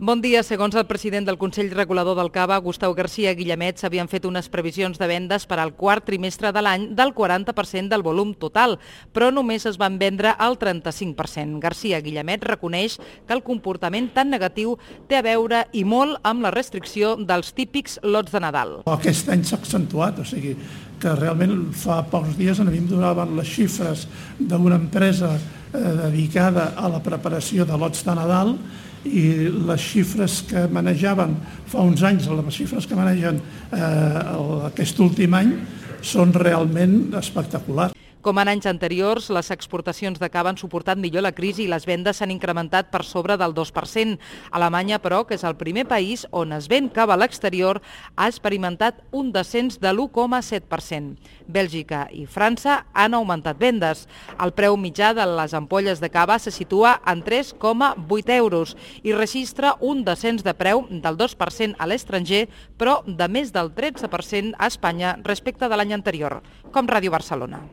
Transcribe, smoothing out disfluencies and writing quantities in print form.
Bon dia. Segons el president del Consell Regulador del Cava, Gustau García Guillemet, s'havien fet unes previsions de vendes per al quart trimestre de l'any del 40% del volum total, però només es van vendre el 35%. García Guillemet reconeix que el comportament tan negatiu té a veure i molt amb la restricció dels típics lots de Nadal. Aquest any s'ha accentuat, o sigui que realment fa pocs dies a mi em donaven les xifres d'una empresa dedicada a la preparació de lots de Nadal i les xifres que manejaven fa uns anys, les xifres que manegen aquest últim any, són realment espectaculars. Com en anys anteriors, les exportacions de cava han suportat millor la crisi i les vendes s'han incrementat per sobre del 2%. Alemanya, però, que és el primer país on es ven cava a l'exterior, ha experimentat un descens de l'1,7%. Bèlgica i França han augmentat vendes. El preu mitjà de les ampolles de cava se situa en 3,8 euros i registra un descens de preu del 2% a l'estranger, però de més del 13% a Espanya respecte de l'any anterior, com Ràdio Barcelona.